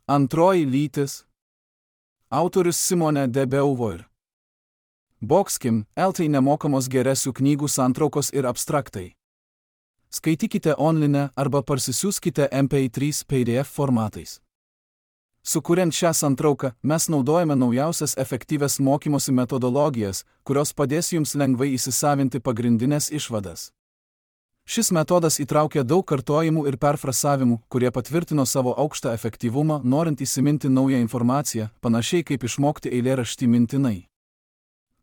Antroji lytis. Autorius Simone de Beauvoir. Boxkim, LT nemokamos geresių knygų santraukos ir abstraktai. Skaitykite online arba parsisiųskite MP3 PDF formatais. Sukuriant šią santrauką, mes naudojame naujausias efektyvias mokymosi metodologijas, kurios padės jums lengvai įsisavinti pagrindinės išvadas. Šis metodas įtraukia daug kartojimų ir perfrasavimų, kurie patvirtino savo aukštą efektyvumą, norint įsiminti naują informaciją, panašiai kaip išmokti eilėraštį mintinai.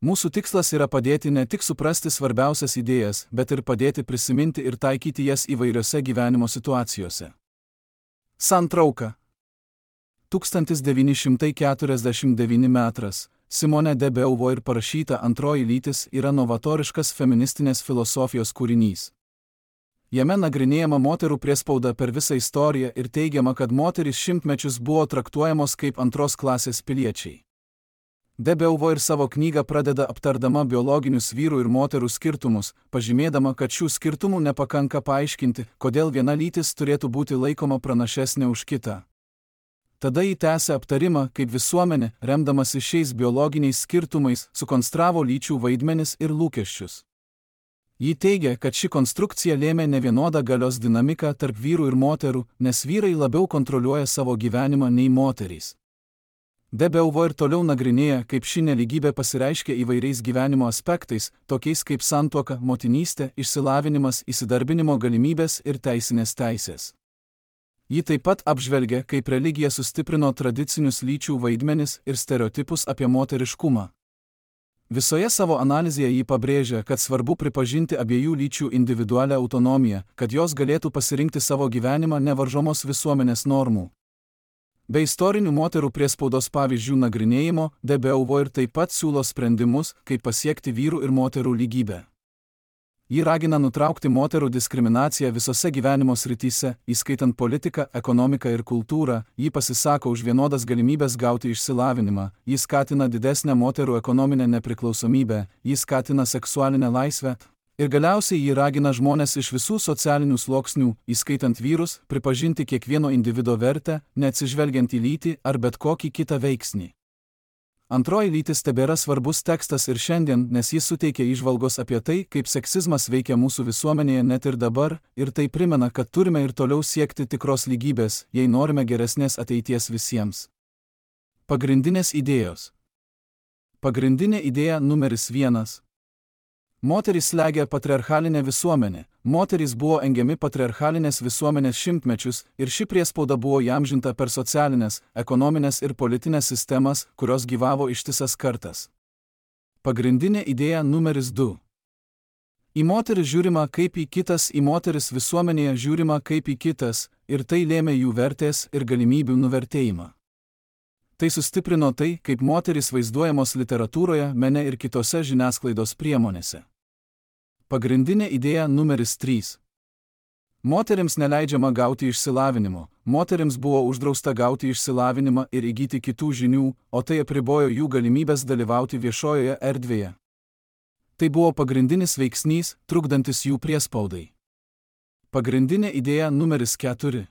Mūsų tikslas yra padėti ne tik suprasti svarbiausias idėjas, bet ir padėti prisiminti ir taikyti jas įvairiose gyvenimo situacijose. Santrauka. 1949 metras. Simone de Beauvoir parašyta Antroji lytis yra novatoriškas feministinės filosofijos kūrinys. Jame nagrinėjama moterų priespauda per visą istoriją ir teigiama, kad moterys šimtmečius buvo traktuojamos kaip antros klasės piliečiai. De Beauvoir savo knygą pradeda aptardama biologinius vyrų ir moterų skirtumus, pažymėdama, kad šių skirtumų nepakanka paaiškinti, kodėl viena lytis turėtų būti laikoma pranašesnė už kitą. Tada ji tęsia aptarimą, kaip visuomenė, remdamasi šiais biologiniais skirtumais, sukonstravo lyčių vaidmenis ir lūkesčius. Ji teigia, kad ši konstrukcija lėmė nevienodą galios dinamiką tarp vyrų ir moterų, nes vyrai labiau kontroliuoja savo gyvenimą nei moterys. De Beauvoir toliau nagrinėja, kaip ši nelygybė pasireiškia įvairiais gyvenimo aspektais, tokiais kaip santuoka, motinystė, išsilavinimas, įsidarbinimo galimybės ir teisinės teisės. Ji taip pat apžvelgia, kaip religija sustiprino tradicinius lyčių vaidmenis ir stereotipus apie moteriškumą. Visoje savo analizėje ji pabrėžia, kad svarbu pripažinti abiejų lyčių individualią autonomiją, kad jos galėtų pasirinkti savo gyvenimą nevaržomos visuomenės normų. Be istorinių moterų priespaudos pavyzdžių nagrinėjimo, De Beauvoir taip pat siūlo sprendimus, kaip pasiekti vyrų ir moterų lygybę. Ji ragina nutraukti moterų diskriminaciją visose gyvenimo srityse, įskaitant politiką, ekonomiką ir kultūrą, ji pasisako už vienodas galimybės gauti išsilavinimą, ji skatina didesnę moterų ekonominę nepriklausomybę, ji skatina seksualinę laisvę ir galiausiai ji ragina žmones iš visų socialinių sluoksnių, įskaitant vyrus, pripažinti kiekvieno individo vertę, neatsižvelgiant į lytį ar bet kokį kitą veiksnį. Antroji lytis tebėra svarbus tekstas ir šiandien, nes jis suteikia įžvalgos apie tai, kaip seksizmas veikia mūsų visuomenėje net ir dabar, ir tai primena, kad turime ir toliau siekti tikros lygybės, jei norime geresnės ateities visiems. Pagrindinės idėjos. Pagrindinė idėja numeris 1. Moterys slegia patriarchalinę visuomenę. Moterys buvo engiami patriarchalinės visuomenės šimtmečius ir ši priespauda buvo įamžinta per socialinės, ekonominės ir politinės sistemas, kurios gyvavo ištisas kartas. Pagrindinė idėja numeris 2. Į moteris žiūrima kaip į kitas, į moteris visuomenėje žiūrima kaip į kitas, ir tai lėmė jų vertės ir galimybių nuvertėjimą. Tai sustiprino tai, kaip moterys vaizduojamos literatūroje, mene ir kitose žiniasklaidos priemonėse. Pagrindinė idėja numeris 3. Moterims neleidžiama gauti išsilavinimo, moterims buvo uždrausta gauti išsilavinimą ir įgyti kitų žinių, o tai apribojo jų galimybės dalyvauti viešojoje erdvėje. Tai buvo pagrindinis veiksnys, trukdantis jų priespaudai. Pagrindinė idėja numeris 4.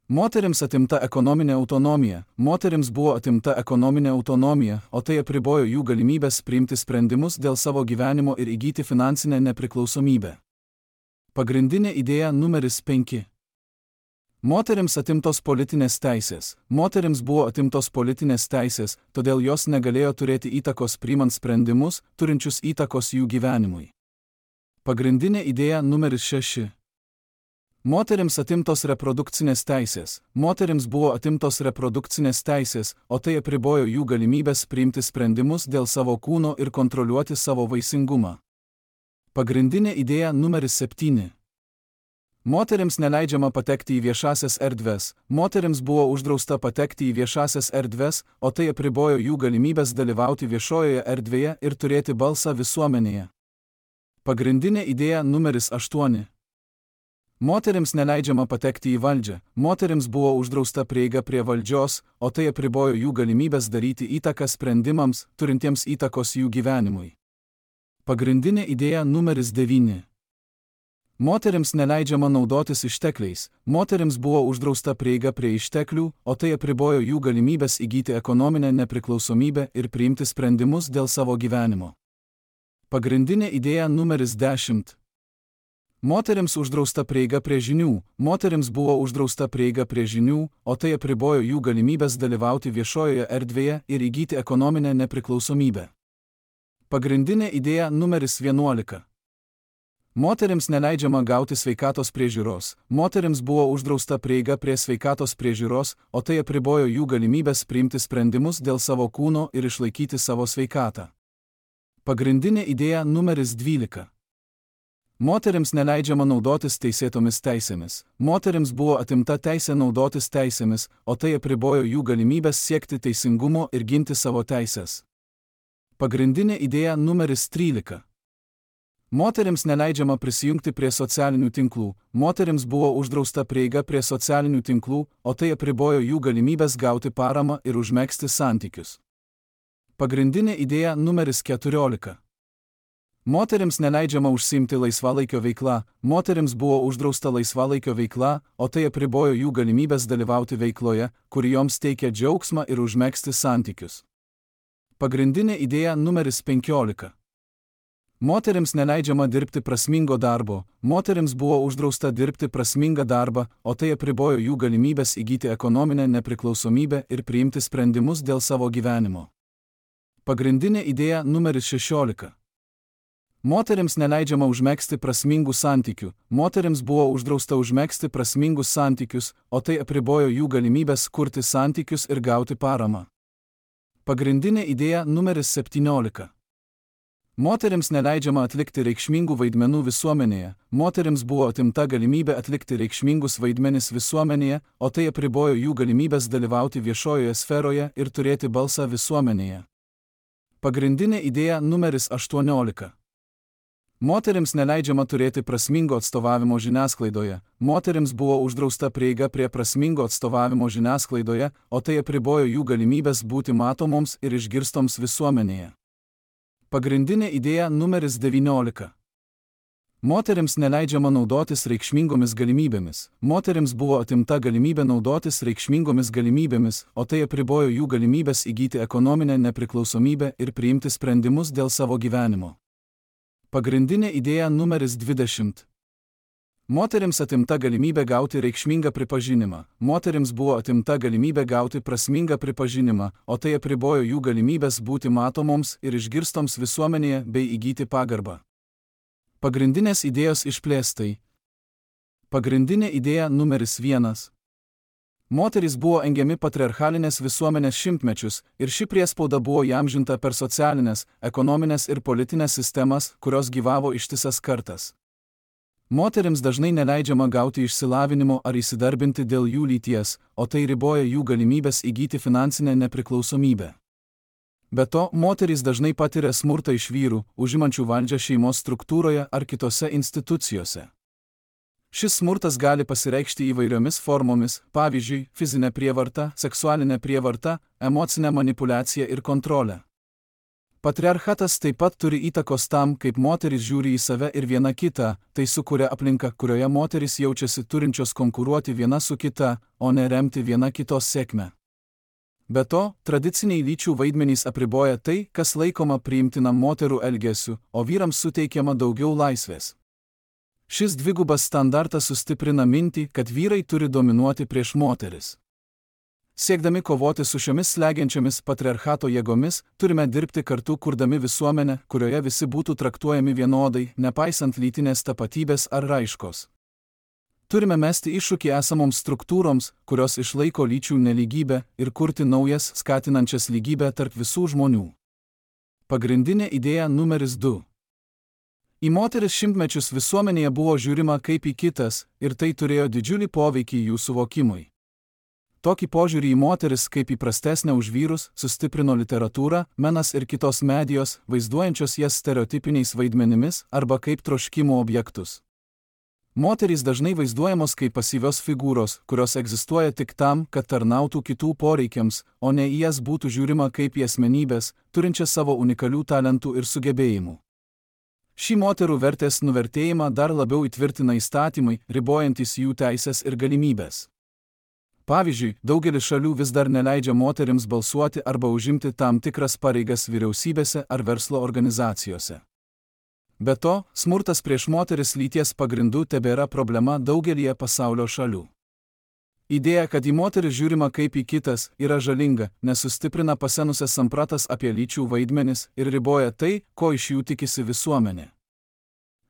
Moterims atimta ekonominė autonomija, moterims buvo atimta ekonominė autonomija, o tai apribojo jų galimybės priimti sprendimus dėl savo gyvenimo ir įgyti finansinę nepriklausomybę. Pagrindinė idėja numeris 5. Moterims atimtos politinės teisės, moterims buvo atimtos politinės teisės, todėl jos negalėjo turėti įtakos priimant sprendimus, turinčius įtakos jų gyvenimui. Pagrindinė idėja numeris 6. Moterims atimtos reprodukcinės teisės, moterims buvo atimtos reprodukcinės teisės, o tai apribojo jų galimybės priimti sprendimus dėl savo kūno ir kontroliuoti savo vaisingumą. Pagrindinė idėja numeris 7. Moterims neleidžiama patekti į viešasias erdves, moterims buvo uždrausta patekti į viešasias erdves, o tai apribojo jų galimybės dalyvauti viešojoje erdvėje ir turėti balsą visuomenėje. Pagrindinė idėja numeris 8. Moterims neleidžiama patekti į valdžią, moterims buvo uždrausta prieiga prie valdžios, o tai apribojo jų galimybės daryti įtaką sprendimams, turintiems įtakos jų gyvenimui. Pagrindinė idėja numeris 9. Moterims neleidžiama naudotis ištekliais, moterims buvo uždrausta prieiga prie išteklių, o tai apribojo jų galimybės įgyti ekonominę nepriklausomybę ir priimti sprendimus dėl savo gyvenimo. Pagrindinė idėja numeris 10. Moterims uždrausta prieiga prie žinių, moterims buvo uždrausta prieiga prie žinių, o tai apribojo jų galimybės dalyvauti viešojoje erdvėje ir įgyti ekonominę nepriklausomybę. Pagrindinė idėja numeris 11. Moterims neleidžiama gauti sveikatos priežiūros, moterims buvo uždrausta prieiga prie sveikatos priežiūros, o tai apribojo jų galimybės priimti sprendimus dėl savo kūno ir išlaikyti savo sveikatą. Pagrindinė idėja numeris 12. Moterims neleidžiama naudotis teisėtomis teisėmis, moterims buvo atimta teisė naudotis teisėmis, o tai apribojo jų galimybės siekti teisingumo ir ginti savo teisės. Pagrindinė idėja numeris 13. Moterims neleidžiama prisijungti prie socialinių tinklų, moterims buvo uždrausta prieiga prie socialinių tinklų, o tai apribojo jų galimybės gauti paramą ir užmegzti santykius. Pagrindinė idėja numeris 14. Moterims neleidžiama užsiimti laisvalaikio veikla, moterims buvo uždrausta laisvalaikio veikla, o tai apribojo jų galimybės dalyvauti veikloje, kuri joms teikia džiaugsmą ir užmegzti santykius. Pagrindinė idėja numeris 15. Moterims neleidžiama dirbti prasmingo darbo, moterims buvo uždrausta dirbti prasmingą darbą, o tai apribojo jų galimybės įgyti ekonominę nepriklausomybę ir priimti sprendimus dėl savo gyvenimo. Pagrindinė idėja numeris 16. Moterims neleidžiama užmegzti prasmingų santykių, moterims buvo uždrausta užmegzti prasmingus santykius, o tai apribojo jų galimybės kurti santykius ir gauti paramą. Pagrindinė idėja numeris 17. Moterims neleidžiama atlikti reikšmingų vaidmenų visuomenėje, moterims buvo atimta galimybė atlikti reikšmingus vaidmenis visuomenėje, o tai apribojo jų galimybės dalyvauti viešojoje sferoje ir turėti balsą visuomenėje. Pagrindinė idėja numeris 18. Moterims neleidžiama turėti prasmingo atstovavimo žiniasklaidoje, moterims buvo uždrausta prieiga prie prasmingo atstovavimo žiniasklaidoje, o tai apribojo jų galimybės būti matomoms ir išgirstoms visuomenėje. Pagrindinė idėja numeris 19. Moterims neleidžiama naudotis reikšmingomis galimybėmis, moterims buvo atimta galimybė naudotis reikšmingomis galimybėmis, o tai apribojo jų galimybės įgyti ekonominę nepriklausomybę ir priimti sprendimus dėl savo gyvenimo. Pagrindinė idėja numeris 20. Moterims atimta galimybė gauti reikšmingą pripažinimą, moterims buvo atimta galimybė gauti prasmingą pripažinimą, o tai apribojo jų galimybės būti matomoms ir išgirstoms visuomenėje bei įgyti pagarbą. Pagrindinės idėjos išplėstai. Pagrindinė idėja numeris 1. Moterys buvo engiami patriarchalinės visuomenės šimtmečius ir ši priespauda buvo įamžinta per socialinės, ekonominės ir politinės sistemas, kurios gyvavo ištisas kartas. Moterims dažnai neleidžiama gauti išsilavinimo ar įsidarbinti dėl jų lyties, o tai riboja jų galimybės įgyti finansinę nepriklausomybę. Be to, moterys dažnai patiria smurtą iš vyrų, užimančių valdžią šeimos struktūroje ar kitose institucijose. Šis smurtas gali pasireikšti įvairiomis formomis, pavyzdžiui, fizinė prievarta, seksualinė prievarta, emocinė manipuliacija ir kontrolė. Patriarchatas taip pat turi įtakos tam, kaip moterys žiūri į save ir viena kitą, tai sukuria aplinką, kurioje moterys jaučiasi turinčios konkuruoti viena su kita, o ne remti viena kitos sėkmę. Be to, tradiciniai lyčių vaidmenys apriboja tai, kas laikoma priimtinam moterų elgesiu, o vyrams suteikiama daugiau laisvės. Šis dvigubas standartas sustiprina mintį, kad vyrai turi dominuoti prieš moteris. Siekdami kovoti su šiomis slegiančiomis patriarchato jėgomis, turime dirbti kartu kurdami visuomenę, kurioje visi būtų traktuojami vienodai, nepaisant lytinės tapatybės ar raiškos. Turime mesti iššūkį esamoms struktūroms, kurios išlaiko lyčių nelygybę, ir kurti naujas, skatinančias lygybę tarp visų žmonių. Pagrindinė idėja numeris 2. Į moteris šimtmečius visuomenėje buvo žiūrima kaip į kitas, ir tai turėjo didžiulį poveikį jų suvokimui. Tokį požiūrį į moteris kaip į prastesnę už vyrus sustiprino literatūra, menas ir kitos medijos, vaizduojančios jas stereotipiniais vaidmenimis arba kaip troškimų objektus. Moterys dažnai vaizduojamos kaip pasyvios figūros, kurios egzistuoja tik tam, kad tarnautų kitų poreikiams, o ne į jas būtų žiūrima kaip į asmenybės, turinčias savo unikalių talentų ir sugebėjimų. Šį moterų vertės nuvertėjimą dar labiau įtvirtina įstatymai, ribojantis jų teisės ir galimybės. Pavyzdžiui, daugelis šalių vis dar neleidžia moterims balsuoti arba užimti tam tikras pareigas vyriausybėse ar verslo organizacijose. Be to, smurtas prieš moteris lyties pagrindų tebėra problema daugelyje pasaulio šalių. Idėja, kad į moteris žiūrima kaip į kitas, yra žalinga, nes sustiprina pasenusias sampratas apie lyčių vaidmenis ir riboja tai, ko iš jų tikisi visuomenė.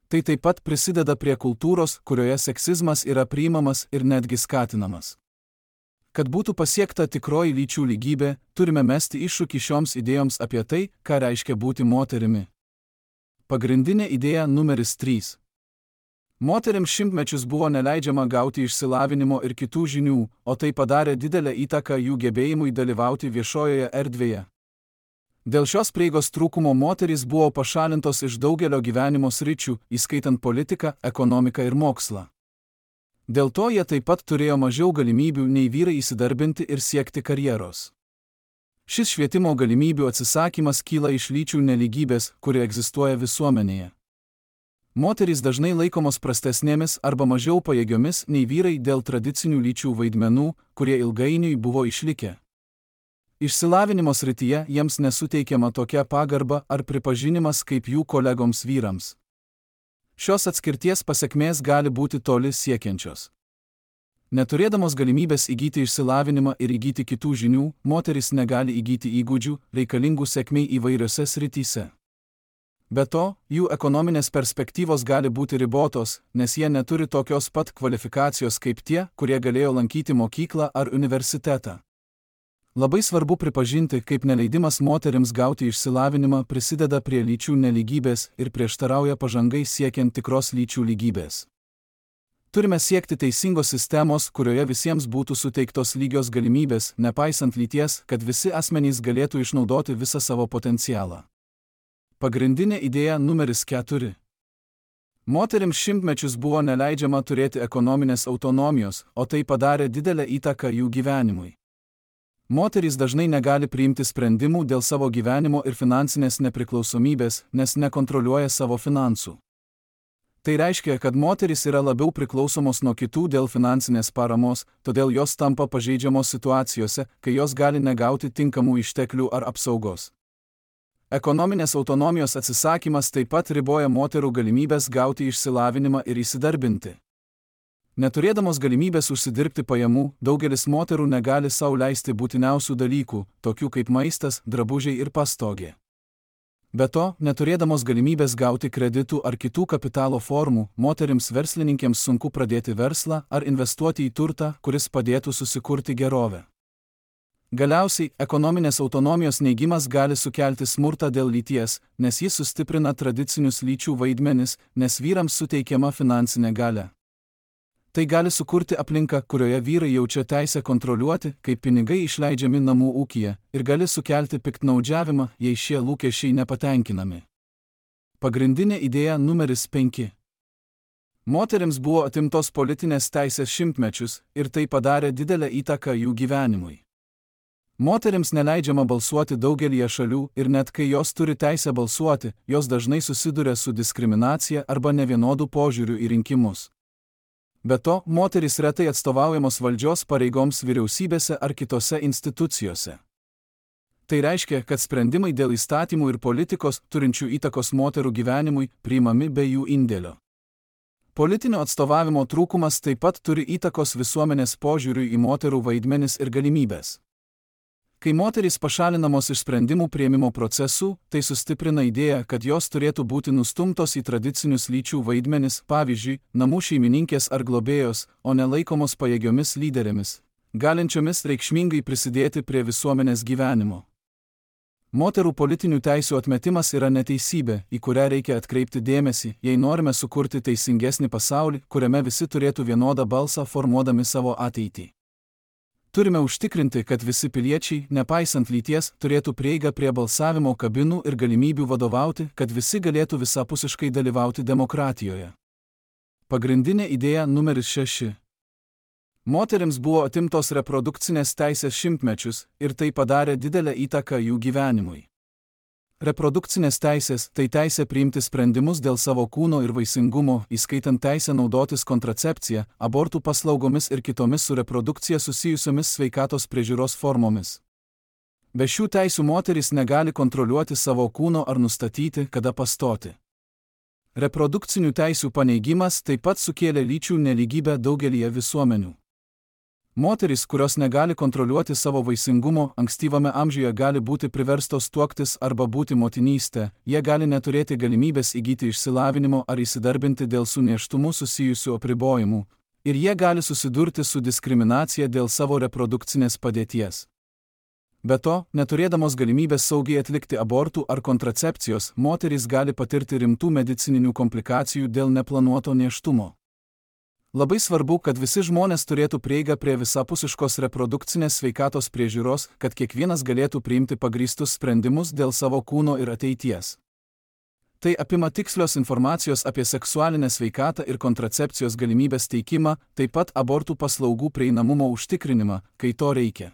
Tai taip pat prisideda prie kultūros, kurioje seksizmas yra priimamas ir netgi skatinamas. Kad būtų pasiekta tikroji lyčių lygybė, turime mesti iššūkį šioms idėjoms apie tai, ką reiškia būti moterimi. Pagrindinė idėja numeris 3. Moterims šimtmečius buvo neleidžiama gauti išsilavinimo ir kitų žinių, o tai padarė didelę įtaką jų gebėjimui dalyvauti viešojoje erdvėje. Dėl šios prieigos trūkumo moterys buvo pašalintos iš daugelio gyvenimo sričių, įskaitant politiką, ekonomiką ir mokslą. Dėl to jie taip pat turėjo mažiau galimybių nei vyrai įsidarbinti ir siekti karjeros. Šis švietimo galimybių atsisakymas kyla iš lyčių nelygybės, kuri egzistuoja visuomenėje. Moterys dažnai laikomos prastesnėmis arba mažiau pajėgiomis nei vyrai dėl tradicinių lyčių vaidmenų, kurie ilgainiui buvo išlikę. Išsilavinimo srityje jiems nesuteikiama tokia pagarba ar pripažinimas kaip jų kolegoms vyrams. Šios atskirties pasekmės gali būti toli siekiančios. Neturėdamos galimybės įgyti išsilavinimą ir įgyti kitų žinių, moteris negali įgyti įgūdžių, reikalingų sėkmei įvairiose srityse. Be to, jų ekonominės perspektyvos gali būti ribotos, nes jie neturi tokios pat kvalifikacijos kaip tie, kurie galėjo lankyti mokyklą ar universitetą. Labai svarbu pripažinti, kaip neleidimas moterims gauti išsilavinimą prisideda prie lyčių nelygybės ir prieštarauja pažangai siekiant tikros lyčių lygybės. Turime siekti teisingos sistemos, kurioje visiems būtų suteiktos lygios galimybės, nepaisant lyties, kad visi asmenys galėtų išnaudoti visą savo potencialą. Pagrindinė idėja numeris 4. Moterims šimtmečius buvo neleidžiama turėti ekonominės autonomijos, o tai padarė didelę įtaką jų gyvenimui. Moterys dažnai negali priimti sprendimų dėl savo gyvenimo ir finansinės nepriklausomybės, nes nekontroliuoja savo finansų. Tai reiškia, kad moterys yra labiau priklausomos nuo kitų dėl finansinės paramos, todėl jos tampa pažeidžiamos situacijose, kai jos gali negauti tinkamų išteklių ar apsaugos. Ekonominės autonomijos atsisakymas taip pat riboja moterų galimybės gauti išsilavinimą ir įsidarbinti. Neturėdamos galimybės užsidirbti pajamų, daugelis moterų negali sau leisti būtiniausių dalykų, tokių kaip maistas, drabužiai ir pastogė. Be to, neturėdamos galimybės gauti kreditų ar kitų kapitalo formų, moterims verslininkėms sunku pradėti verslą ar investuoti į turtą, kuris padėtų susikurti gerovę. Galiausiai, ekonominės autonomijos neigimas gali sukelti smurtą dėl lyties, nes jis sustiprina tradicinius lyčių vaidmenis, nes vyrams suteikiama finansinė galia. Tai gali sukurti aplinką, kurioje vyrai jaučia teisę kontroliuoti, kaip pinigai išleidžiami namų ūkyje, ir gali sukelti piktnaudžiavimą, jei šie lūkesčiai nepatenkinami. Pagrindinė idėja numeris 5. Moterims buvo atimtos politinės teisės šimtmečius ir tai padarė didelę įtaką jų gyvenimui. Moterims neleidžiama balsuoti daugelyje šalių ir net kai jos turi teisę balsuoti, jos dažnai susiduria su diskriminacija arba nevienodų požiūrių į rinkimus. Be to, moterys retai atstovaujamos valdžios pareigoms vyriausybėse ar kitose institucijose. Tai reiškia, kad sprendimai dėl įstatymų ir politikos, turinčių įtakos moterų gyvenimui, priimami be jų indėlio. Politinio atstovavimo trūkumas taip pat turi įtakos visuomenės požiūriui į moterų vaidmenis ir galimybės. Kai moterys pašalinamos iš sprendimų priėmimo procesų, tai sustiprina idėją, kad jos turėtų būti nustumtos į tradicinius lyčių vaidmenis, pavyzdžiui, namų šeimininkės ar globėjos, o ne laikomos pajėgiomis lyderėmis, galinčiomis reikšmingai prisidėti prie visuomenės gyvenimo. Moterų politinių teisių atmetimas yra neteisybė, į kurią reikia atkreipti dėmesį, jei norime sukurti teisingesnį pasaulį, kuriame visi turėtų vienodą balsą formuodami savo ateitį. Turime užtikrinti, kad visi piliečiai, nepaisant lyties, turėtų prieigą prie balsavimo kabinų ir galimybių vadovauti, kad visi galėtų visapusiškai dalyvauti demokratijoje. Pagrindinė idėja numeris 6. Moterims buvo atimtos reprodukcinės teisės šimtmečius ir tai padarė didelę įtaką jų gyvenimui. Reprodukcinės teisės – tai teisė priimti sprendimus dėl savo kūno ir vaisingumo, įskaitant teisę naudotis kontracepcija, abortų paslaugomis ir kitomis su reprodukcija susijusiomis sveikatos priežiūros formomis. Be šių teisių moteris negali kontroliuoti savo kūno ar nustatyti, kada pastoti. Reprodukcinių teisių paneigimas taip pat sukėlė lyčių nelygybę daugelyje visuomenių. Moterys, kurios negali kontroliuoti savo vaisingumo, ankstyvame amžiuje gali būti priverstos tuoktis arba būti motinystė, jie gali neturėti galimybės įgyti išsilavinimo ar įsidarbinti dėl su nėštumu susijusių apribojimų, ir jie gali susidurti su diskriminacija dėl savo reprodukcinės padėties. Be to, neturėdamos galimybės saugiai atlikti abortų ar kontracepcijos, moterys gali patirti rimtų medicininių komplikacijų dėl neplanuoto nėštumo. Labai svarbu, kad visi žmonės turėtų prieigą prie visapusiškos reprodukcinės sveikatos priežiūros, kad kiekvienas galėtų priimti pagrįstus sprendimus dėl savo kūno ir ateities. Tai apima tikslios informacijos apie seksualinę sveikatą ir kontracepcijos galimybės teikimą, taip pat abortų paslaugų prieinamumo užtikrinimą, kai to reikia.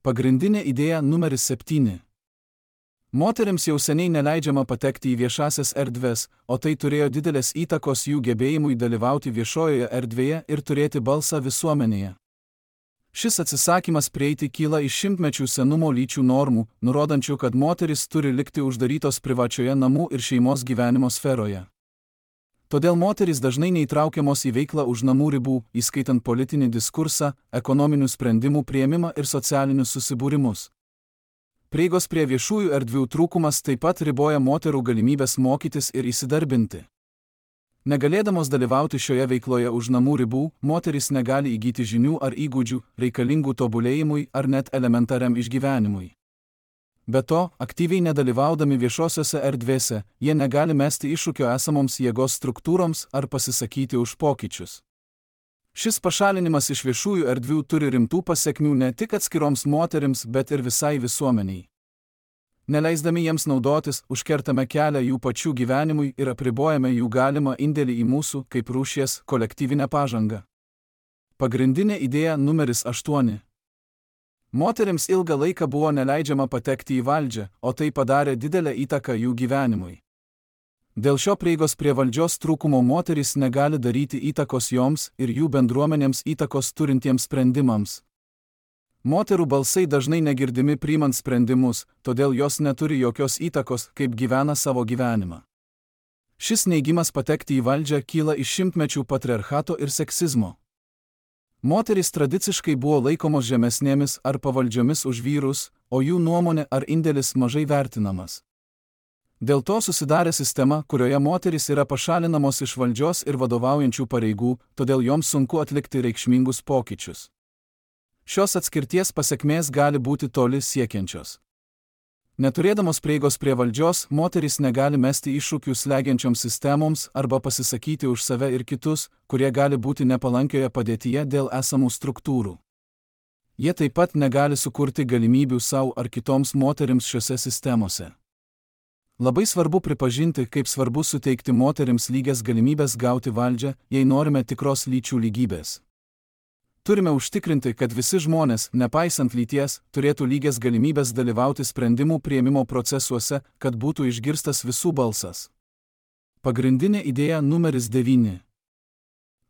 Pagrindinė idėja numeris 7. Moterims jau seniai neleidžiama patekti į viešasias erdves, o tai turėjo didelės įtakos jų gebėjimui dalyvauti viešojoje erdvėje ir turėti balsą visuomenėje. Šis atsisakymas prieiti kyla iš šimtmečių senumo lyčių normų, nurodančių, kad moteris turi likti uždarytos privačioje namų ir šeimos gyvenimo sferoje. Todėl moterys dažnai neįtraukiamos į veiklą už namų ribų, įskaitant politinį diskursą, ekonominių sprendimų priėmimą ir socialinius susibūrimus. Prieigos prie viešųjų erdvių trūkumas taip pat riboja moterų galimybės mokytis ir įsidarbinti. Negalėdamos dalyvauti šioje veikloje už namų ribų, moterys negali įgyti žinių ar įgūdžių, reikalingų tobulėjimui ar net elementariam išgyvenimui. Be to, aktyviai nedalyvaudami viešosiose erdvėse, jie negali mesti iššūkio esamoms jėgos struktūroms ar pasisakyti už pokyčius. Šis pašalinimas iš viešųjų erdvių turi rimtų pasekmių ne tik atskiroms moterims, bet ir visai visuomeniai. Neleisdami jiems naudotis, užkertame kelią jų pačių gyvenimui ir apribojame jų galimą indėlį į mūsų, kaip rūšies, kolektyvinę pažangą. Pagrindinė idėja numeris 8. Moterims ilgą laiką buvo neleidžiama patekti į valdžią, o tai padarė didelę įtaką jų gyvenimui. Dėl šio prieigos prie valdžios trūkumo moterys negali daryti įtakos joms ir jų bendruomenėms įtakos turintiems sprendimams. Moterų balsai dažnai negirdimi priimant sprendimus, todėl jos neturi jokios įtakos, kaip gyvena savo gyvenimą. Šis neigimas patekti į valdžią kyla iš šimtmečių patriarchato ir seksizmo. Moterys tradiciškai buvo laikomos žemesnėmis ar pavaldžiomis už vyrus, o jų nuomonė ar indėlis mažai vertinamas. Dėl to susidarė sistema, kurioje moterys yra pašalinamos iš valdžios ir vadovaujančių pareigų, todėl joms sunku atlikti reikšmingus pokyčius. Šios atskirties pasekmės gali būti toli siekiančios. Neturėdamos prieigos prie valdžios, moterys negali mesti iššūkių slegiančioms sistemoms arba pasisakyti už save ir kitus, kurie gali būti nepalankioje padėtyje dėl esamų struktūrų. Jie taip pat negali sukurti galimybių savo ar kitoms moterims šiose sistemose. Labai svarbu pripažinti, kaip svarbu suteikti moterims lygias galimybės gauti valdžią, jei norime tikros lyčių lygybės. Turime užtikrinti, kad visi žmonės, nepaisant lyties, turėtų lygias galimybės dalyvauti sprendimų priėmimo procesuose, kad būtų išgirstas visų balsas. Pagrindinė idėja numeris 9.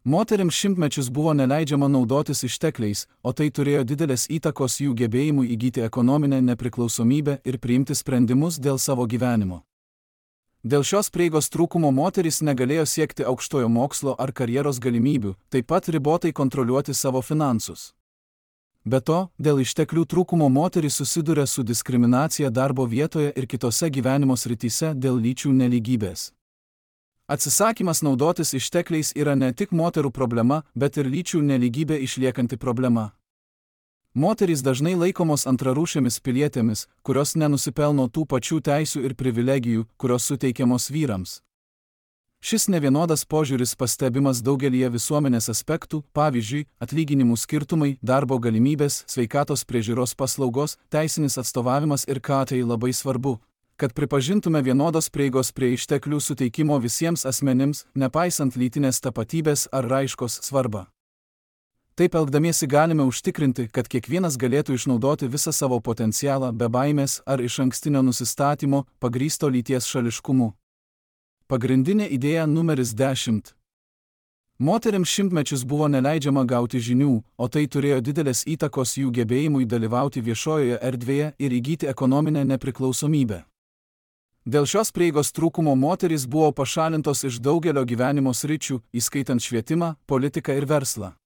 Moterims šimtmečius buvo neleidžiama naudotis ištekliais, o tai turėjo didelės įtakos jų gebėjimui įgyti ekonominę nepriklausomybę ir priimti sprendimus dėl savo gyvenimo. Dėl šios prieigos trūkumo moterys negalėjo siekti aukštojo mokslo ar karjeros galimybių, taip pat ribotai kontroliuoti savo finansus. Be to, dėl išteklių trūkumo moterys susiduria su diskriminacija darbo vietoje ir kitose gyvenimo srityse dėl lyčių nelygybės. Atsisakymas naudotis ištekliais yra ne tik moterų problema, bet ir lyčių nelygybė išliekanti problema. Moterys dažnai laikomos antrarūšėmis pilietėmis, kurios nenusipelno tų pačių teisių ir privilegijų, kurios suteikiamos vyrams. Šis nevienodas požiūris pastebimas daugelyje visuomenės aspektų, pavyzdžiui, atlyginimų skirtumai, darbo galimybės, sveikatos priežiūros paslaugos, teisinis atstovavimas ir ką tai labai svarbu, kad pripažintume vienodos prieigos prie išteklių suteikimo visiems asmenims, nepaisant lytinės tapatybės ar raiškos svarbą. Taip elgdamiesi galime užtikrinti, kad kiekvienas galėtų išnaudoti visą savo potencialą be baimės ar išankstinio nusistatymo pagrįsto lyties šališkumu. Pagrindinė idėja numeris 10. Moterims šimtmečius buvo neleidžiama gauti žinių, o tai turėjo didelės įtakos jų gebėjimui dalyvauti viešojoje erdvėje ir įgyti ekonominę nepriklausomybę. Dėl šios prieigos trūkumo moterys buvo pašalintos iš daugelio gyvenimo sričių, įskaitant švietimą, politiką ir verslą.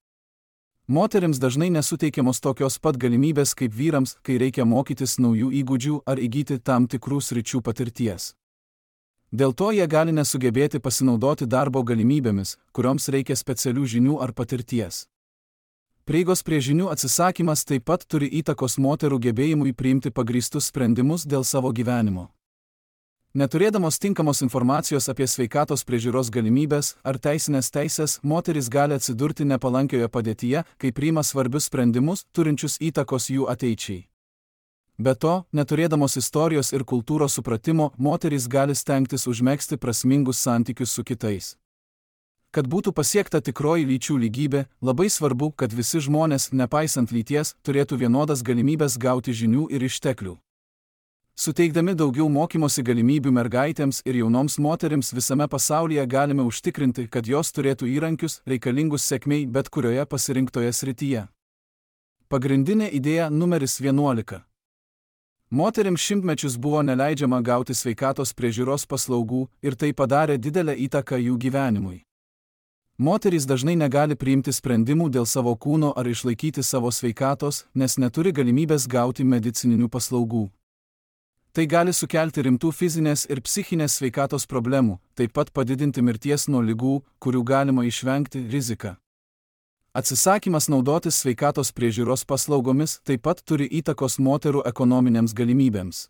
Moterims dažnai nesuteikiamos tokios pat galimybės kaip vyrams, kai reikia mokytis naujų įgūdžių ar įgyti tam tikrų sričių patirties. Dėl to jie gali nesugebėti pasinaudoti darbo galimybėmis, kurioms reikia specialių žinių ar patirties. Prieigos prie žinių atsisakymas taip pat turi įtakos moterų gebėjimui priimti pagrįstus sprendimus dėl savo gyvenimo. Neturėdamos tinkamos informacijos apie sveikatos priežiūros galimybės ar teisinės teisės, moterys gali atsidurti nepalankioje padėtyje, kai priima svarbius sprendimus, turinčius įtakos jų ateičiai. Be to, neturėdamos istorijos ir kultūros supratimo, moterys gali stengtis užmegzti prasmingus santykius su kitais. Kad būtų pasiekta tikroji lyčių lygybė, labai svarbu, kad visi žmonės, nepaisant lyties, turėtų vienodas galimybės gauti žinių ir išteklių. Suteikdami daugiau mokymosi galimybių mergaitėms ir jaunoms moterims visame pasaulyje galime užtikrinti, kad jos turėtų įrankius, reikalingus sėkmei bet kurioje pasirinktoje srityje. Pagrindinė idėja numeris 11. Moterims šimtmečius buvo neleidžiama gauti sveikatos priežiūros paslaugų ir tai padarė didelę įtaką jų gyvenimui. Moterys dažnai negali priimti sprendimų dėl savo kūno ar išlaikyti savo sveikatos, nes neturi galimybės gauti medicininių paslaugų. Tai gali sukelti rimtų fizinės ir psichinės sveikatos problemų, taip pat padidinti mirties nuo ligų, kurių galima išvengti, riziką. Atsisakymas naudotis sveikatos priežiūros paslaugomis taip pat turi įtakos moterų ekonominėms galimybėms.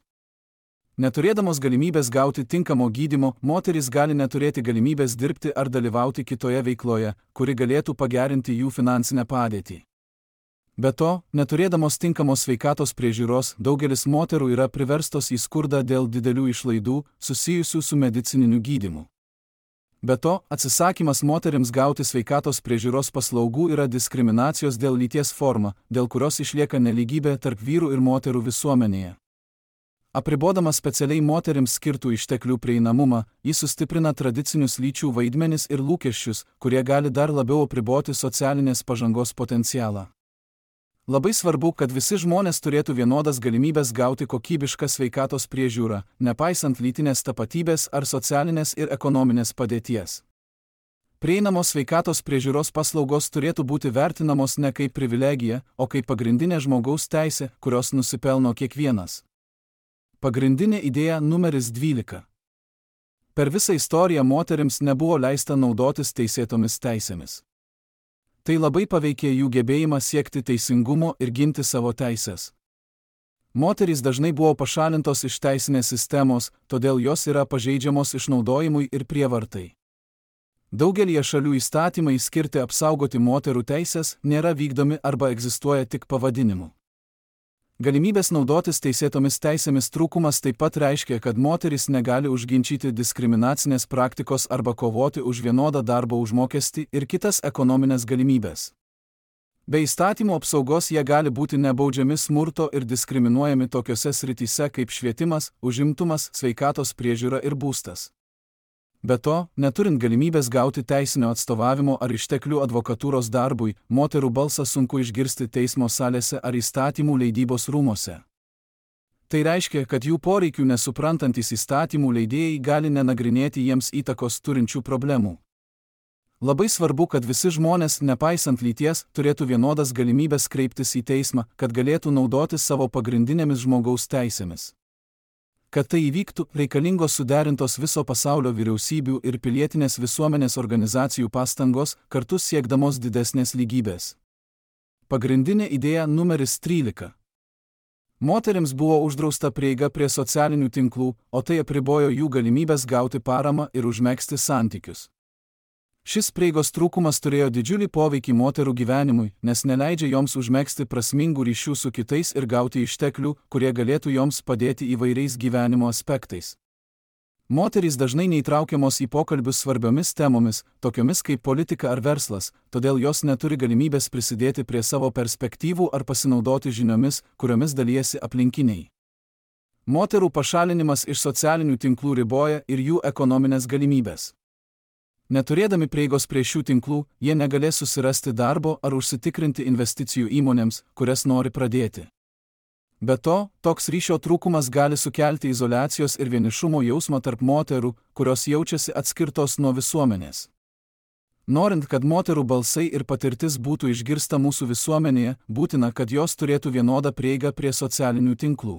Neturėdamos galimybės gauti tinkamo gydymo, moterys gali neturėti galimybės dirbti ar dalyvauti kitoje veikloje, kuri galėtų pagerinti jų finansinę padėtį. Be to, neturėdamos tinkamos sveikatos priežiūros, daugelis moterų yra priverstos į skurdą dėl didelių išlaidų susijusių su medicininiu gydymu. Be to, atsisakymas moterims gauti sveikatos priežiūros paslaugų yra diskriminacijos dėl lyties forma, dėl kurios išlieka nelygybė tarp vyrų ir moterų visuomenėje. Apribodamas specialiai moterims skirtų išteklių prieinamumą, jis sustiprina tradicinius lyčių vaidmenis ir lūkesčius, kurie gali dar labiau apriboti socialinės pažangos potencialą. Labai svarbu, kad visi žmonės turėtų vienodas galimybės gauti kokybišką sveikatos priežiūrą, nepaisant lytinės tapatybės ar socialinės ir ekonominės padėties. Prieinamos sveikatos priežiūros paslaugos turėtų būti vertinamos ne kaip privilegija, o kaip pagrindinė žmogaus teisė, kurios nusipelno kiekvienas. Pagrindinė idėja numeris 12. Per visą istoriją moterims nebuvo leista naudotis teisėtomis teisėmis. Tai labai paveikė jų gebėjimą siekti teisingumo ir ginti savo teises. Moterys dažnai buvo pašalintos iš teisinės sistemos, todėl jos yra pažeidžiamos išnaudojimui ir prievartai. Daugelį šalių įstatymai skirti apsaugoti moterų teises nėra vykdomi arba egzistuoja tik pavadinimu. Galimybės naudotis teisėtomis teisėmis trūkumas taip pat reiškia, kad moterys negali užginčyti diskriminacinės praktikos arba kovoti už vienodą darbo užmokestį ir kitas ekonominės galimybės. Be įstatymų apsaugos jie gali būti nebaudžiami smurto ir diskriminuojami tokiose srityse kaip švietimas, užimtumas, sveikatos priežiūra ir būstas. Be to, neturint galimybės gauti teisinio atstovavimo ar išteklių advokatūros darbui, moterų balsą sunku išgirsti teismo salėse ar įstatymų leidybos rūmose. Tai reiškia, kad jų poreikių nesuprantantis įstatymų leidėjai gali nenagrinėti jiems įtakos turinčių problemų. Labai svarbu, kad visi žmonės, nepaisant lyties, turėtų vienodas galimybės kreiptis į teismą, kad galėtų naudotis savo pagrindinėmis žmogaus teisėmis. Kad tai įvyktų, reikalingos suderintos viso pasaulio vyriausybių ir pilietinės visuomenės organizacijų pastangos, kartu siekdamos didesnės lygybės. Pagrindinė idėja numeris 13. Moterims buvo uždrausta prieiga prie socialinių tinklų, o tai apribojo jų galimybės gauti paramą ir užmegzti santykius. Šis prieigos trūkumas turėjo didžiulį poveikį moterų gyvenimui, nes neleidžia joms užmegzti prasmingų ryšių su kitais ir gauti išteklių, kurie galėtų joms padėti įvairiais gyvenimo aspektais. Moterys dažnai neįtraukiamos į pokalbius svarbiomis temomis, tokiomis kaip politika ar verslas, todėl jos neturi galimybės prisidėti prie savo perspektyvų ar pasinaudoti žiniomis, kuriomis dalijasi aplinkiniai. Moterų pašalinimas iš socialinių tinklų riboja ir jų ekonominės galimybės. Neturėdami prieigos prie šių tinklų, jie negalės susirasti darbo ar užsitikrinti investicijų įmonėms, kurias nori pradėti. Be to, toks ryšio trūkumas gali sukelti izoliacijos ir vienišumo jausmą tarp moterų, kurios jaučiasi atskirtos nuo visuomenės. Norint, kad moterų balsai ir patirtis būtų išgirsta mūsų visuomenėje, būtina, kad jos turėtų vienodą prieigą prie socialinių tinklų.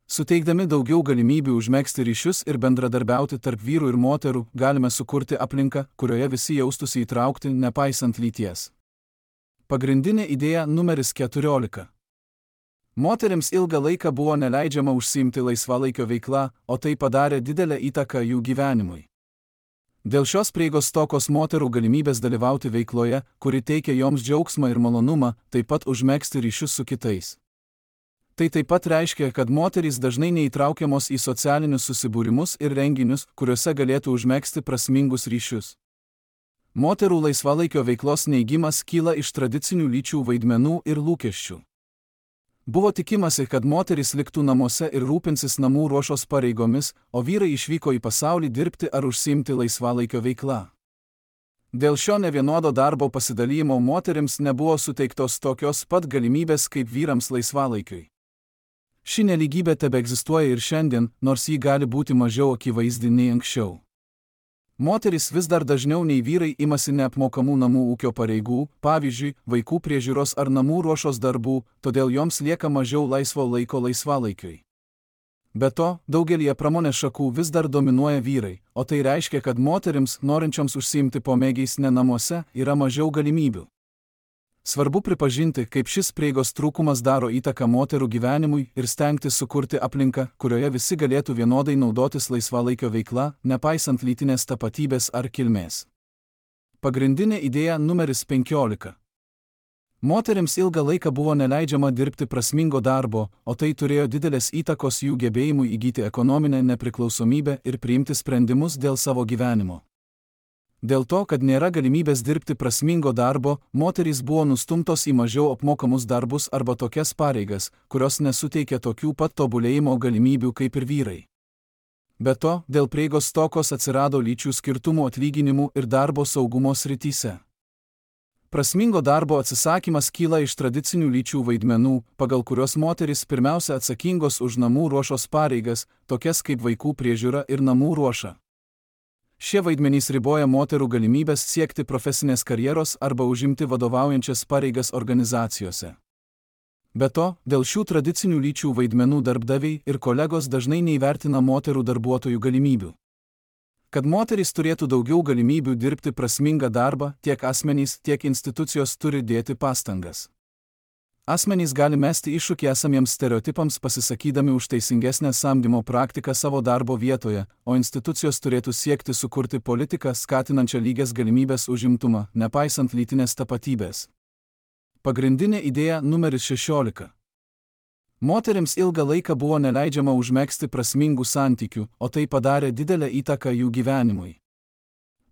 Suteikdami daugiau galimybių užmegzti ryšius ir bendradarbiauti tarp vyrų ir moterų, galime sukurti aplinką, kurioje visi jaustųsi įtraukti, nepaisant lyties. Pagrindinė idėja numeris 14. Moterims ilgą laiką buvo neleidžiama užsiimti laisvalaikio veiklą, o tai padarė didelę įtaką jų gyvenimui. Dėl šios prieigos stokos moterų galimybės dalyvauti veikloje, kuri teikia joms džiaugsmą ir malonumą, taip pat užmegzti ryšius su kitais. Tai taip pat reiškia, kad moterys dažnai neįtraukiamos į socialinius susibūrimus ir renginius, kuriuose galėtų užmegzti prasmingus ryšius. Moterų laisvalaikio veiklos neigimas kyla iš tradicinių lyčių vaidmenų ir lūkesčių. Buvo tikimasi, kad moterys liktų namuose ir rūpinsis namų ruošos pareigomis, o vyrai išvyko į pasaulį dirbti ar užsiimti laisvalaikio veiklą. Dėl šio nevienodo darbo pasidalijimo moterims nebuvo suteiktos tokios pat galimybės kaip vyrams laisvalaikiui. Ši nelygybė tebeegzistuoja ir šiandien, nors ji gali būti mažiau akivaizdi nei anksčiau. Moterys vis dar dažniau nei vyrai imasi neapmokamų namų ūkio pareigų, pavyzdžiui, vaikų priežiūros ar namų ruošos darbų, todėl joms lieka mažiau laisvo laiko laisvalaikiui. Be to, daugelie pramonės šakų vis dar dominuoja vyrai, o tai reiškia, kad moterims, norinčioms užsiimti pomėgiais ne namuose, yra mažiau galimybių. Svarbu pripažinti, kaip šis prieigos trūkumas daro įtaką moterų gyvenimui ir stengtis sukurti aplinką, kurioje visi galėtų vienodai naudotis laisvalaikio veikla, nepaisant lytinės tapatybės ar kilmės. Pagrindinė idėja numeris 15. Moterims ilgą laiką buvo neleidžiama dirbti prasmingo darbo, o tai turėjo didelės įtakos jų gebėjimui įgyti ekonominę nepriklausomybę ir priimti sprendimus dėl savo gyvenimo. Dėl to, kad nėra galimybės dirbti prasmingo darbo, moterys buvo nustumtos į mažiau apmokamus darbus arba tokias pareigas, kurios nesuteikia tokių pat tobulėjimo galimybių kaip ir vyrai. Be to, dėl prieigos stokos atsirado lyčių skirtumų atlyginimų ir darbo saugumo srityse. Prasmingo darbo atsisakymas kyla iš tradicinių lyčių vaidmenų, pagal kurios moterys pirmiausia atsakingos už namų ruošos pareigas, tokias kaip vaikų priežiūra ir namų ruoša. Šie vaidmenys riboja moterų galimybės siekti profesinės karjeros arba užimti vadovaujančias pareigas organizacijose. Be to, dėl šių tradicinių lyčių vaidmenų darbdaviai ir kolegos dažnai neįvertina moterų darbuotojų galimybių. Kad moterys turėtų daugiau galimybių dirbti prasmingą darbą, tiek asmenys, tiek institucijos turi dėti pastangas. Asmenys gali mesti iššūkį esamiems stereotipams pasisakydami už teisingesnę samdymo praktiką savo darbo vietoje, o institucijos turėtų siekti sukurti politiką skatinančią lygias galimybės užimtumą, nepaisant lytinės tapatybės. Pagrindinė idėja numeris 16. Moterims ilgą laiką buvo neleidžiama užmegzti prasmingų santykių, o tai padarė didelę įtaką jų gyvenimui.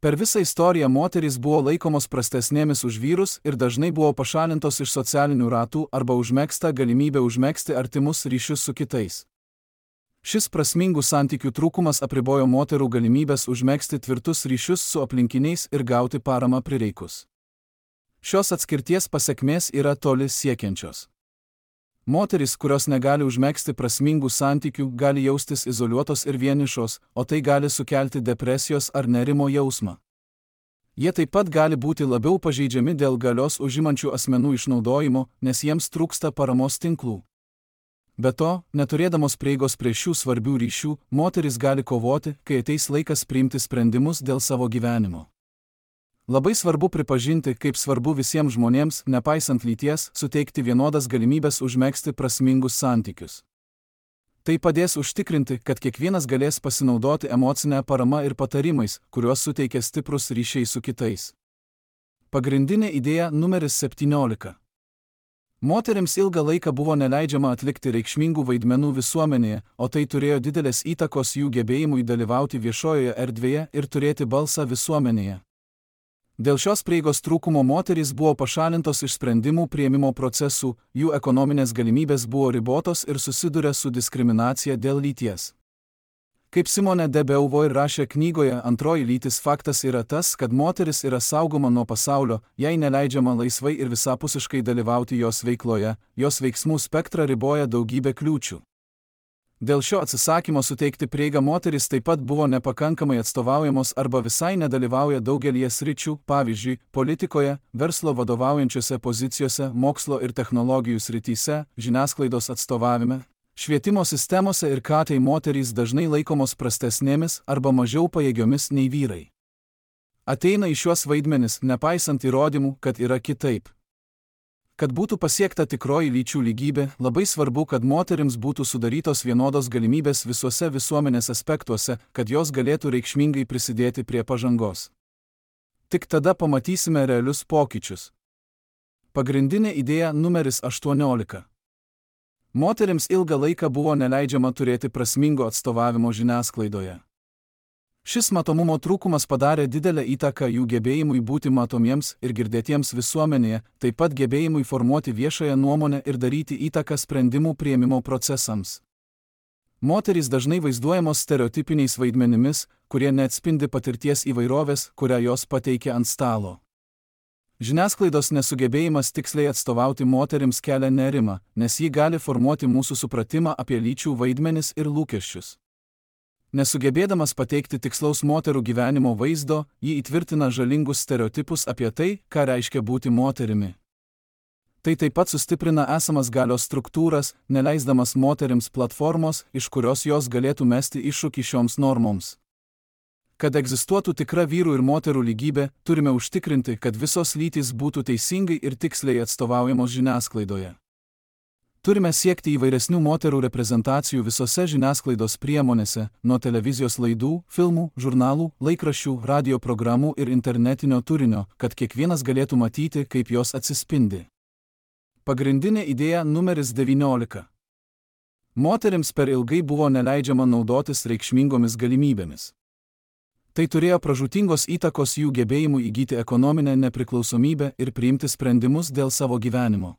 Per visą istoriją moterys buvo laikomos prastesnėmis už vyrus ir dažnai buvo pašalintos iš socialinių ratų arba užmegzta galimybė užmegzti artimus ryšius su kitais. Šis prasmingų santykių trūkumas apribojo moterų galimybės užmegzti tvirtus ryšius su aplinkiniais ir gauti paramą prireikus. Šios atskirties pasekmės yra toli siekiančios. Moterys, kurios negali užmegzti prasmingų santykių, gali jaustis izoliuotos ir vienišos, o tai gali sukelti depresijos ar nerimo jausmą. Jie taip pat gali būti labiau pažeidžiami dėl galios užimančių asmenų išnaudojimo, nes jiems trūksta paramos tinklų. Be to, neturėdamos prieigos prie šių svarbių ryšių, moterys gali kovoti, kai ateis laikas priimti sprendimus dėl savo gyvenimo. Labai svarbu pripažinti, kaip svarbu visiems žmonėms, nepaisant lyties, suteikti vienodas galimybės užmegzti prasmingus santykius. Tai padės užtikrinti, kad kiekvienas galės pasinaudoti emocinę paramą ir patarimais, kuriuos suteikia stiprus ryšiai su kitais. Pagrindinė idėja numeris 17. Moterims ilgą laiką buvo neleidžiama atlikti reikšmingų vaidmenų visuomenėje, o tai turėjo didelės įtakos jų gebėjimui dalyvauti viešojoje erdvėje ir turėti balsą visuomenėje. Dėl šios prieigos trūkumo moterys buvo pašalintos iš sprendimų priėmimo procesų, jų ekonominės galimybės buvo ribotos ir susiduria su diskriminacija dėl lyties. Kaip Simone de Beauvoir rašė knygoje Antroji lytis, faktas yra tas, kad moteris yra saugoma nuo pasaulio, jai neleidžiama laisvai ir visapusiškai dalyvauti jos veikloje, jos veiksmų spektrą riboja daugybė kliūčių. Dėl šio atsisakymo suteikti prieigą moteris taip pat buvo nepakankamai atstovaujamos arba visai nedalyvauja daugelį sričių, pavyzdžiui, politikoje, verslo vadovaujančiose pozicijose, mokslo ir technologijų srityse, žiniasklaidos atstovavime. Švietimo sistemose ir tai moterys dažnai laikomos prastesnėmis arba mažiau pajėgiomis nei vyrai. Ateina į šiuos vaidmenis, nepaisant įrodymų, kad yra kitaip. Kad būtų pasiekta tikroji lyčių lygybė, labai svarbu, kad moterims būtų sudarytos vienodos galimybės visuose visuomenės aspektuose, kad jos galėtų reikšmingai prisidėti prie pažangos. Tik tada pamatysime realius pokyčius. Pagrindinė idėja numeris 18. Moterims ilgą laiką buvo neleidžiama turėti prasmingo atstovavimo žiniasklaidoje. Šis matomumo trūkumas padarė didelę įtaką jų gebėjimui būti matomiems ir girdėtiems visuomenėje, taip pat gebėjimui formuoti viešąją nuomonę ir daryti įtaką sprendimų priėmimo procesams. Moterys dažnai vaizduojamos stereotipiniais vaidmenimis, kurie neatspindi patirties įvairovės, kurią jos pateikia ant stalo. Žiniasklaidos nesugebėjimas tiksliai atstovauti moterims kelia nerimą, nes ji gali formuoti mūsų supratimą apie lyčių vaidmenis ir lūkesčius. Nesugebėdamas pateikti tikslaus moterų gyvenimo vaizdo, ji įtvirtina žalingus stereotipus apie tai, ką reiškia būti moterimi. Tai taip pat sustiprina esamas galios struktūras, neleisdamas moterims platformos, iš kurios jos galėtų mesti iššūkį šioms normoms. Kad egzistuotų tikra vyrų ir moterų lygybė, turime užtikrinti, kad visos lytys būtų teisingai ir tiksliai atstovaujamos žiniasklaidoje. Turime siekti įvairesnių moterų reprezentacijų visose žiniasklaidos priemonėse, nuo televizijos laidų, filmų, žurnalų, laikraščių, radio programų ir internetinio turinio, kad kiekvienas galėtų matyti, kaip jos atsispindi. Pagrindinė idėja numeris 19. Moterims per ilgai buvo neleidžiama naudotis reikšmingomis galimybėmis. Tai turėjo pražūtingos įtakos jų gebėjimui įgyti ekonominę nepriklausomybę ir priimti sprendimus dėl savo gyvenimo.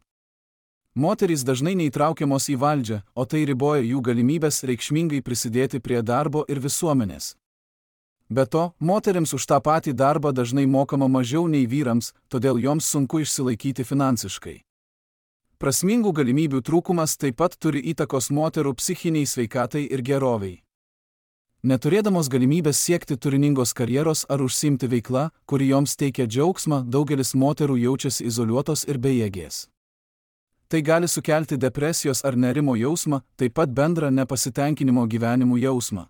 Moterys dažnai neįtraukiamos į valdžią, o tai riboja jų galimybės reikšmingai prisidėti prie darbo ir visuomenės. Be to, moterims už tą patį darbą dažnai mokama mažiau nei vyrams, todėl joms sunku išsilaikyti finansiškai. Prasmingų galimybių trūkumas taip pat turi įtakos moterų psichiniai sveikatai ir geroviai. Neturėdamos galimybės siekti turiningos karjeros ar užsiimti veikla, kuri joms teikia džiaugsmą, daugelis moterų jaučiasi izoliuotos ir bejėgės. Tai gali sukelti depresijos ar nerimo jausmą, taip pat bendrą nepasitenkinimo gyvenimu jausmą.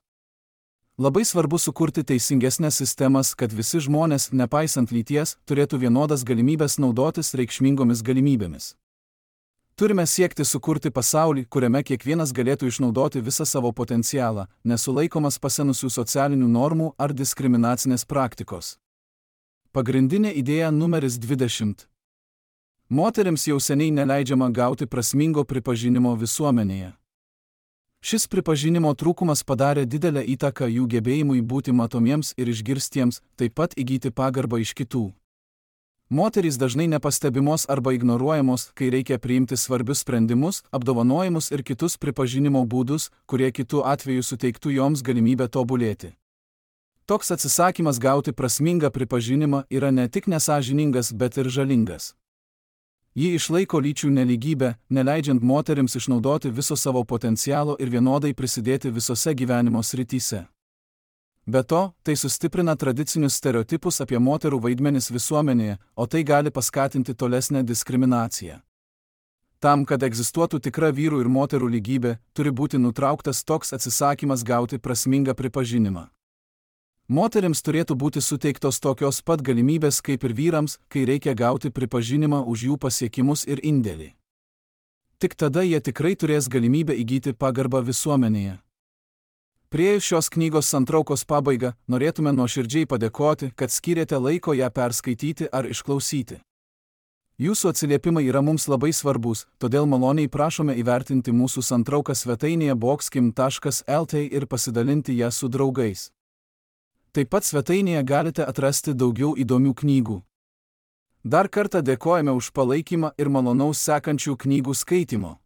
Labai svarbu sukurti teisingesnės sistemas, kad visi žmonės, nepaisant lyties, turėtų vienodas galimybės naudotis reikšmingomis galimybėmis. Turime siekti sukurti pasaulį, kuriame kiekvienas galėtų išnaudoti visą savo potencialą, nesulaikomas pasenusių socialinių normų ar diskriminacinės praktikos. Pagrindinė idėja numeris 20. Moterims jau seniai neleidžiama gauti prasmingo pripažinimo visuomenėje. Šis pripažinimo trūkumas padarė didelę įtaką jų gebėjimui būti matomiems ir išgirstiems, taip pat įgyti pagarbą iš kitų. Moterys dažnai nepastebimos arba ignoruojamos, kai reikia priimti svarbius sprendimus, apdovanojimus ir kitus pripažinimo būdus, kurie kitų atveju suteiktų joms galimybę tobulėti. Toks atsisakymas gauti prasmingą pripažinimą yra ne tik nesąžiningas, bet ir žalingas. Ji išlaiko lyčių nelygybę, neleidžiant moterims išnaudoti viso savo potencialo ir vienodai prisidėti visose gyvenimo srityse. Be to, tai sustiprina tradicinius stereotipus apie moterų vaidmenis visuomenėje, o tai gali paskatinti tolesnę diskriminaciją. Tam, kad egzistuotų tikra vyrų ir moterų lygybė, turi būti nutrauktas toks atsisakymas gauti prasmingą pripažinimą. Moterims turėtų būti suteiktos tokios pat galimybės kaip ir vyrams, kai reikia gauti pripažinimą už jų pasiekimus ir indėlį. Tik tada jie tikrai turės galimybę įgyti pagarbą visuomenėje. Priėjus šios knygos santraukos pabaigą, norėtume nuoširdžiai padėkoti, kad skyrėte laiko ją perskaityti ar išklausyti. Jūsų atsiliepimai yra mums labai svarbus, todėl maloniai prašome įvertinti mūsų santrauką svetainėje boxkim.lt ir pasidalinti ją su draugais. Taip pat svetainėje galite atrasti daugiau įdomių knygų. Dar kartą dėkojame už palaikymą ir malonaus sekančių knygų skaitimo.